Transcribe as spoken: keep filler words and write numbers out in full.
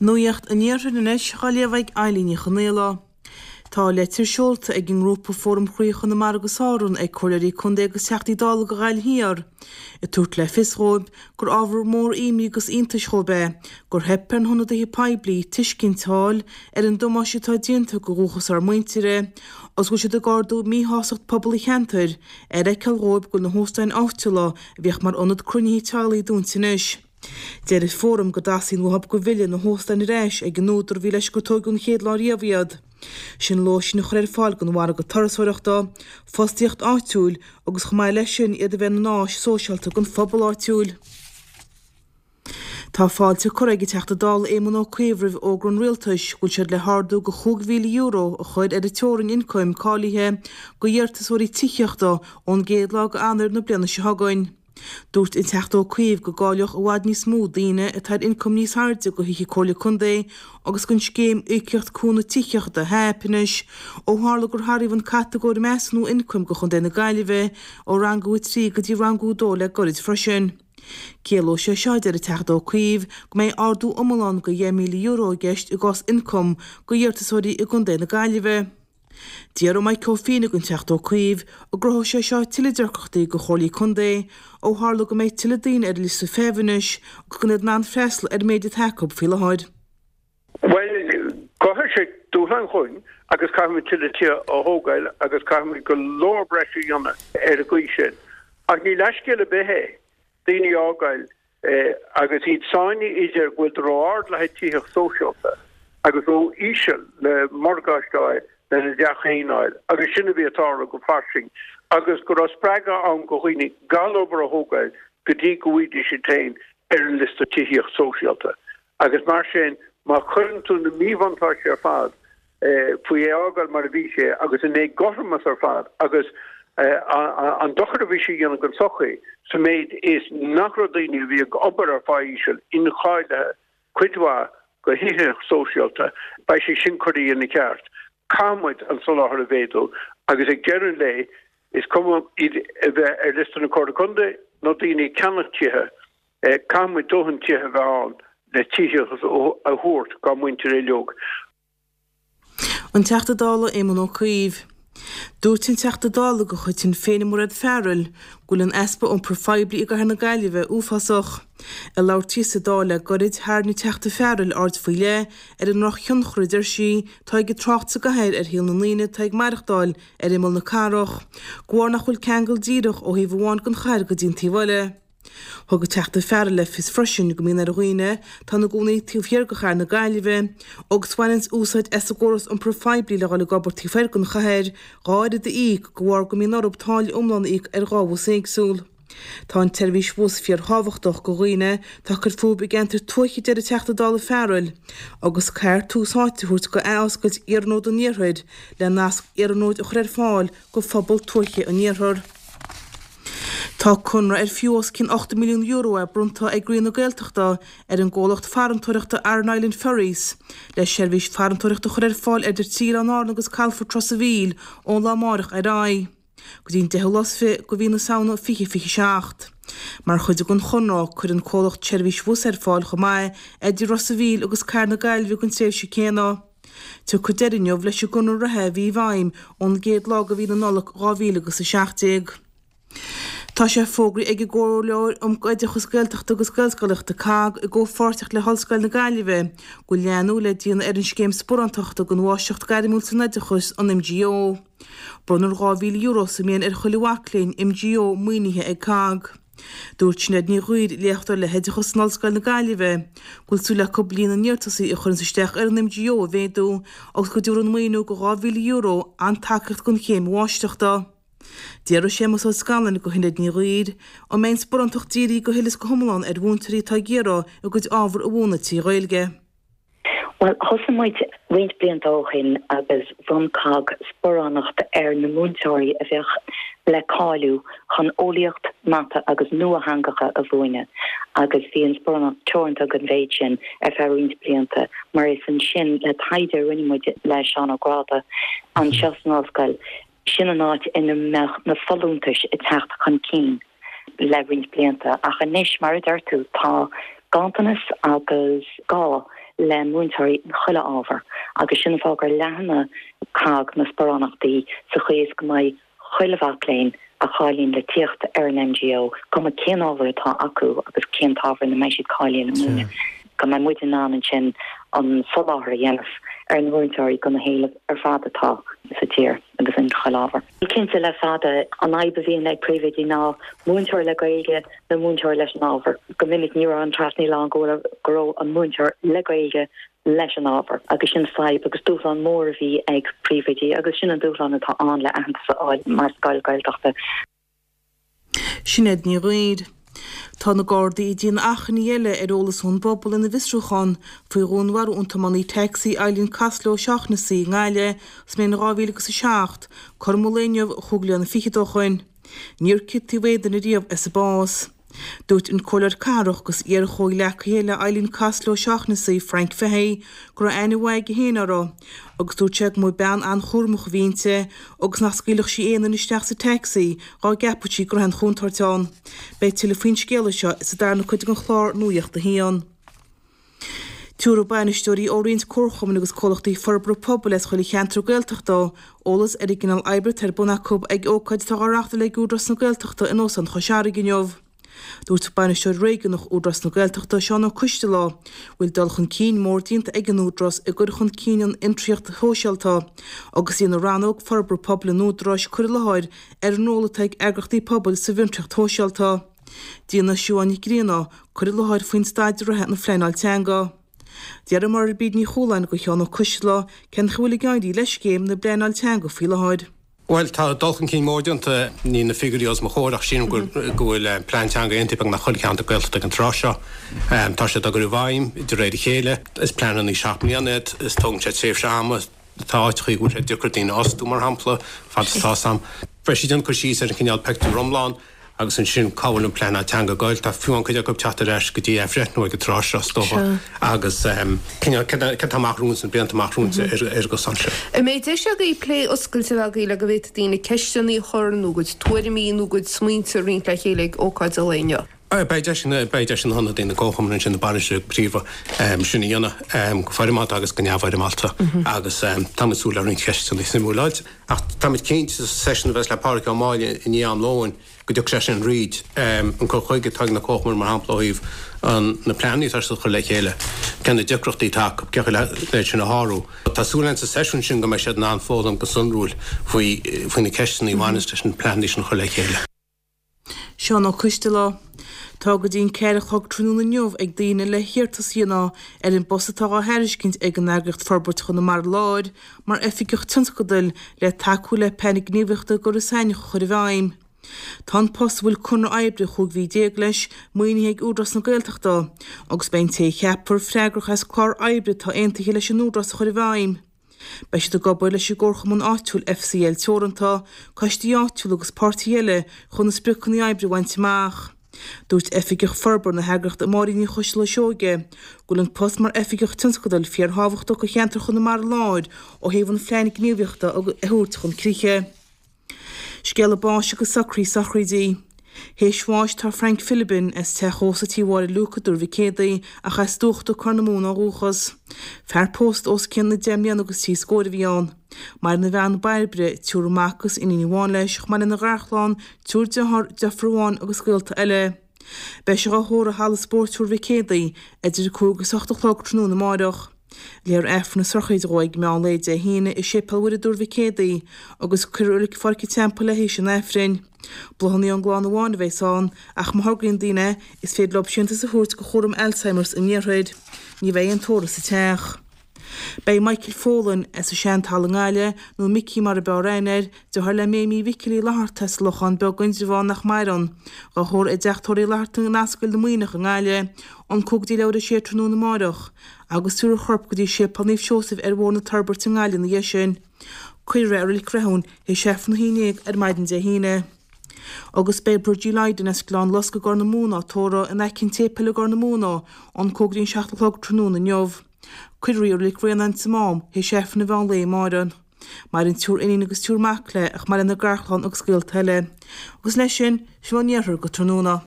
Nuacht an Iarthair anois á léamh ag Eilín Ní Chonaola. Tá leitir seolta ag an ngrúpa Fóram Chroí Chonamara agus Árann ag Comhairleoirí Contae agus Teachtaí Dála go Ghaillimh Thiar, ag tabhairt le fios dhóibh gur ábhar mór imní agus iontais dhóibh é gur theip ar na hionadaithe poiblí tuiscint a fháil ar an damáiste atá déanta go dhúchas ár muintire agus go bhfuil siad ag ardú míshástacht pobal an cheantair ar fheiceáil dhóibh go bhfuil na hóstáin áitiúla a bhíodh mar ionad cruinnithe teaghlaigh dúnta anois. Deir an Fóram go dteastaíonn uathu go bhfillfidh na hóstáin ar ais ag an údar a bhí leis gur tógadh an chéad lá riamh iad. Sin lóistín a chur ar fáil don mhargadh turasóireachta, fostaíocht áitiúil agus chomh maith leis sin iad a bheith ina n-áis sóisialta don phobal áitiúil. Tá fáilte curtha ag an Teachta Dála Éamon Ó Cuív roimh fhógra an Rialtais go bhfuil siad le hardú go chúig mhíle euro a chur ar an teorainn ioncaim cáilithe do iarratasóirí tithíochta ón gcéad lá d'Eanáir na bliana seo chugainn. Dúirt an Teachta Ó Cuív go gcáileodh i bhfad níos mó daoine atá ar ioncam níos airde go thithe Comhairle Contae agus don scéim Íocaíocht Cúnamh Tithíochta HAP anois ó tharla gur athraíodh an catagóir measúnú ioncaim do Chontae na Gaillimhe ó rangú a trí go dtí rangú a dó le gairid freisin. Ciallóidh sé seo, deir an Teachta Ó Cuív, go mbeidh ardú iomlán go dheich míle euro i gceist i gcás ioncaim do iarratasóirí i gContae na Gaillimhe. D'fhiafraigh Maidhc Ó Fiannaigh den Teachta Ó Cuív an gcruthóidh sé seo tuilleadh deacrachtaí do chomhairlí contae ó tharla go mbeidh tuilleadh daoine ar an liosta feithimh anois agus gan iad in ann freastal ar an méid atá acu faoi láthair. Bhuel, chruthaigh sé dúshlán dhúinn agus caithfimid tuilleadh tithe a thógáil agus caithfimid go leor breise a dhéanamh ar an gcaoi sin. Ach ní leithscéal ar bith é daoine a fhágáil agus iad sáinnithe idir go bhfuil ró-ard le haghaidh tithíocht sóisialta agus ró-íseal le morgáiste a fháil lena dteach féin a fháil agus sin a bhí ag tarlú go fairsing agus go raibh spreagadh ann go dhaoine gan obair a thógáil go dtí go bhfaighidís iad féin ar an liosta tithíocht sóisialta agus mar sin má chuireann tú na míbhuntáistí ar fad faoi é a fhágáil mar a bhí sé agus an éagothromas ar fad agus an dochar a bhí sé a dhéanamh don tsochaí sa méid is nach raibh daoine a bhí ag obair ar phá íseal incháilithe cuid mhaith go thithíocht sóisialta, beidh sé sin curtha ina cheart. Caithfidh muid an soláthar a mhéadú agus ag deireadh an lae is cuma iad a bheith ar liosta na Comhairle Contae nó daoine ag ceannach tithe, caithfidh muid dóthain tithe a bheith ann le tithíocht a thabhairt dár muintir uilig. An Teachta Dála Éamon Ó Cuív. Dúirt an Teachta Dála de chuid Shinn Féin Mairéad Farrell go bhfuil an easpa iompair phoiblí i gcathair na Gaillimhe uafásach. Ag labhairt di sa Dáil le gairid, tharraing an Teachta Farrell aird faoi leith ar an ndrochthionchar a deir sí atá ag an trácht sa gcathair ar shaol na ndaoine atá ag maireachtáil ar imeall na cathrach, de bharr nach bhfuil ceangal díreach ó thaobh amháin den chathair go dtí an taobh eile. Thug an Teachta Farrell le fios freisin go mbíonn ar dhaoine atá ina gcónaí taobh thiar de chathair na Gaillimhe agus a bhaineanns úsáid as an gcóras iompair phoiblí le dhul ag obair taobh thoir den chathair dhá oiread a íoc de bharr go mbíonn orthu táille iomlán a íoc ar dhá bhus éagsúil. Tá an tseirbhís bhus fíorthábhachtach do dhaoine atá ag cur fúthu i gceantair tuaithe a deir an Teachta Dála Farrell agus caithfear tús áite a thabhairt do athoscailt Iarnród an Iarthair le nasc iarnróid a chur ar fáil do phobal tuaithe an Iarthair. Tá conradh ar fiú os cionn ochtó milliún euro é bronnta ag Roinn na Gaeltachta ar an gcomhlacht farantóireachta Aran Island Ferries le seirbhís farantóireachta a chur ar fáil idir trí Oileán Árann agus Calafort Ros an Mhíl ón lá amárach ar aghaidh go dtí an deichiú lá is fiche de mhí na Samhna fiche fiche seacht. Mar chuid den chonradh, cuirfidh an comhlacht seirbhís bhus ar fáil chomh maith idir Ros an Mhíl agus Cathair na Gaillimhe don tréimhse céanna. Tiocfaidh deireadh inniu leis an gconradh reatha a bhí i bhfeidhm ón gcéad lá de mhí na Nollag dhá mhíle agus a seacht déag. Tá sé fógraithe ag an gComhairleoir um Oideachas Gaeltachta agus Gaelscolaíochta, COGG, i gcomhpháirtíocht le hOllscoil na Gaillimhe, go bhfuil leathnú le déanamh ar an scéim sparántachta don Mháistreacht Gairmiúil san Oideachas, an MGO. Bronnfar dhá mhíle euro sa mbliain ar chuile mhac léinn MGO maoinithe ag COGG. Dúirt Sinéad Ní Ghuidhir, léachtóir le hOideachas in Ollscoil na Gaillimhe, go bhfuil súil acu líon na n-iarratasaí a chuireanns isteach ar an MGO a mhéadú agus go dtabharfaidh an maoiniú de dhá mhíle euro an-tacaíocht don chéim mháistreachta. D'fhiafraigh Séamus Ó Scanláin de Shinéad Ní Ghuidhir an mbeidh an sparántacht dírithe go huile is go hiomlán ar mhúinteoirí atá ag iarraidh a gcuid ábhar a mhúineadh trí Ghaeilge. Bhuel, thosaigh muid roinnt blianta ó shin agus bhronn COGG sparánacht ar na múinteoirí a bheadh le cáiliú chun eolaíocht, mata agus nuatheangacha a mhúineadh agus bhí an sparánacht teoranta don mhéid sin ar feadh roinnt blianta mar is ansin le taighde a rinne muid le Seán Ó Gráda anseo san ollscoil Sin an áit ina mbeadh na folúntais ag teacht chun cinn le roinnt blianta ach anois, mar a deir tú, tá ganntanas agus gá le múinteoirí in chuile ábhar agus sin an fáth gur leathnaigh COGG na sparánachtaí sa chaoi is go mbeidh chuile mhac léinn a cháilíonn le tíocht ar an MGO cuma cén ábhar atá acu agus cén t-ábhar ina mbeidh siad cáilithe le múineadh go mbeidh muid in ann ansin an soláthar a dhéanamh ar na múinteoirí do na héilimh ar fad atá sa tír agus in chuile ábhar. Cinnte le fada an fhadhb a bhíonn ag príomhoidí ná múinteoir le Gaeilge nó múinteoir leis an ábhar. Go minic ní raibh an trasnaíl ann go go raibh an múinteoir le Gaeilge leis an ábhar agus sin fadhb agus dúshlán mór a bhí ag príomhoidí agus sin an dúshlán atá ann le aitheantas a fháil mar scoil Gaeltachta. Sinéad Ní Ghaoir. Tá na Gardaí ag déanamh achainí eile ar eolas ón bpobal ina bhfiosrúchán faoi dhúnmharú an tiománaí tacsaí Eileen Costello O'Shaughnessy i nGaillimh sa mbliain dhá mhíle agus a seacht, cothrom an lae inniu chúig bliana fichead ó shoin. Níor ciontaíodh aon duine riamh as a bás. Dúirt an Comhairleoir Cathrach agus iar-chomhghleacaí le Eileen Costello O'Shaughnessy, Frank Fahey, go raibh aithne mhaith aige féin uirthi agus dúirt sé go mba bean an-chúramach a bhí inti agus nach scaoilfeadh sí aon duine isteach sa tacsaí dhá gceapfadh sí go raibh aon chontúirt ann. Beidh tuilleadh faoin scéala seo sa darna cuid den chlár Nuacht a hAon. Tabharfaidh bainisteoirí ó roinnt comharchumann agus comhlachtaí forbartha pobail as chuile cheantar Gaeltachta eolas ar an gcineál oibre atá ar bun acu ag ócáid atá á reáchtáil ag Údarás na Gaeltachta in Óstán Chois Fharraige inniu. Dúirt Bainisteoir Réigiúnach Údarás na Gaeltachta, Seán Ó Coistealbha, go bhfuil dul chun cinn mór déanta ag an Údarás i gcur chun cinn an fhiontraíocht shóisialta agus déanfaidh rannóg forbartha pobail an Údaráis cur i láthair ar an ról atá ag eagraíochtaí pobail sa bhfiontraíocht shóisialta. Déanfaidh Siubhán Nic Grianna cur i láthair faoin staid reatha na phleanáil teanga. D'iarr Máire Bríd Ní Chualáin de Sheán Ó Coistealbha cén chaoi a bhfuil ag éirí le scéim na bpleanáil teanga faoi láthair. Bhuel, tá dul chun cinn mór déanta, níl na figiúirí os mo chomhair ach sílim go bhfuil plean teanga aontaithe beagnach chuile cheantar Gaeltachta ag an tráth seo. Tá siad á gcur i bhfeidhm de réir a chéile. Is pleananna seacht mbliana iad, is tógann sé tréimhse ama. Tá áiteachaí go bhfuil sé deacair daoine a fhostú, mar shampla, fad is atá sam. Beidh siad ag déanamh cur síos ar an chineál pictiúr iomlán. agus ansin cá bhfuil an pleanáil teanga ag goil. Tá fiú amháin cuid acu ag teacht ar ais go dtí athbhreithniú ag an tráth seo, is dócha, agus cineál cad atá amach romhainn sna blianta amach romhainn ar an gcosán seo. An mbeidh deis agaibh plé oscailte a bheith agaibh le go bhféadfaidh daoine ceisteanna a chur nó a gcuid tuairimí nó a gcuid smaointe a roinnt le chéile ag ócáid an lae inniu? Beidh deis beidh deis ag na hionadaithe na gcomharchumann ansin, na bainisteoirí go príomha, sin a dhéanamh go foirmeálta agus go neamhfhoirmeálta agus táimid ag súil le roinnt ceisteanna suimiúla a fháilt. Ach táimid cinnte sa seisiún a bheas le Pádraig Ó Máille i ndiaidh am lóin go dtiocfaidh sé sin fríd, an cur chuige atá ag na comharchumainn mar shampla ó thaobh na pleananna atá siad a chur le chéile, cé na deacrachtaí atá acu, cén chaoi le iad sin a shárú. Tá súil againn sa seisiún sin go mbeidh siad in ann foghlaim go sonrúil faoi faoi na ceisteanna a bhaineas leis na pleananna sin a chur le chéile. Seán Ó Coistealbha. Tá go dtí an ceathair a chlog tráthnóna inniu ag daoine le hiarratas a dhéanamh ar an bpost atá á thairiscint ag an eagraíocht Forbairt Chonamara Láir mar Oifigeach Tionscadail le tacú le Plean Gníomhaíochta i gCois Fharraige a chur i bhfeidhm. Tá an post, a bhfuil conradh oibre chúig mhí déag leis, maoinithe ag Údarás na Gaeltachta agus beidh an té a cheapfar freagrach as clár oibre atá aontaithe leis an Údarás a chur i bhfeidhm. Beidh siad ag obair leis an gcomharchumann áitiúil FCL Teoranta, coistí áitiúla agus páirtithe eile chun na spriocanna oibre a bhaint amach. Dúirt Oifigeach Forbartha na heagraíochta Máirín Ní Choistealbha Seoige go bhfuil an post mar Oifigeach Tionscadail fíorthábhachtach do cheantar Chonamara Láir ó thaobh an phlean gníomhaíochta a thabhairt chun críche. Scéala báis agus socruithe sochraide. Théis bháis tá Frank Philbin, as teach ósta Tí Mháire Luke i dTuar Mhic Éadaigh, ach as Dúchta, Corr na Móna ó dhúchas. Fear pósta os cionn na deich mbliana agus trí scór a bhí ann. Maireann a bhean Bairbre, triúr mac agus iníon amháin leis, chomh maith lena gharchlann, triúr dearthár, deirfiúr amháin agus gaolta eile. Beidh sé á thórramh i Halla Spóirt Thuar Mhic Éadaigh idir a cúig agus a hocht a chlog tráthnóna amáireach. Léifear Aifreann na sochraide dhó ag meán lae Dé hAoine i Séipéal Mhuire i dTuar Mhic Éadaigh agus cuirfear i Reilig Pháirc an Teampaill é théis an Aifrinn. Bláthanna ón gclann amháin a bheas ann ach má thograíonn daoine é, is féidir leo síntiús a thabhairt do Chúram Alzheimer's an Iarthair. Ní bheidh aon tórramh sa teach. Beidh Michael Folan, as an Seantalamh i nGaillimh, nó Micí mar a b'fhearr aithne air, deartháir le Méimí Mhicil Uí Fhlatharta as Lochán Beag Indreabhán nach maireann, dhá thórramh i dteach tórraimh Uí Fhlatharta in Ascaill na Muimhneach i nGaillimh, ón cúig go dtí leathuair tar éis a sé tráthnóna amáireach, agus tabharfar a chorp go dtí Séipéal Naomh Seosamh ar Bhóthar na Toirbhirte i nGaillimh ina dhiaidh sin. Cuirfear é i Reilig Rathún théis Aifreann a haon déag ar maidin Dé hAoine. Agus beidh Bridgie Lydon as Gleann Lusca i gCorr na Móna á tórramh in aice an tséipéil i gCorr na Móna ón cúig go dtí an seacht a chlog tráthnóna inniu. Cuirfear í i Reilig Bhraonáin sa Mám théis Aifreann an mheán lae amáireach. Maireann triúr iníon agus triúr mac léi, chomh maith lena garchlann agus gaolta eile. Agus leis sin, sin ón iarthar go tráthnóna.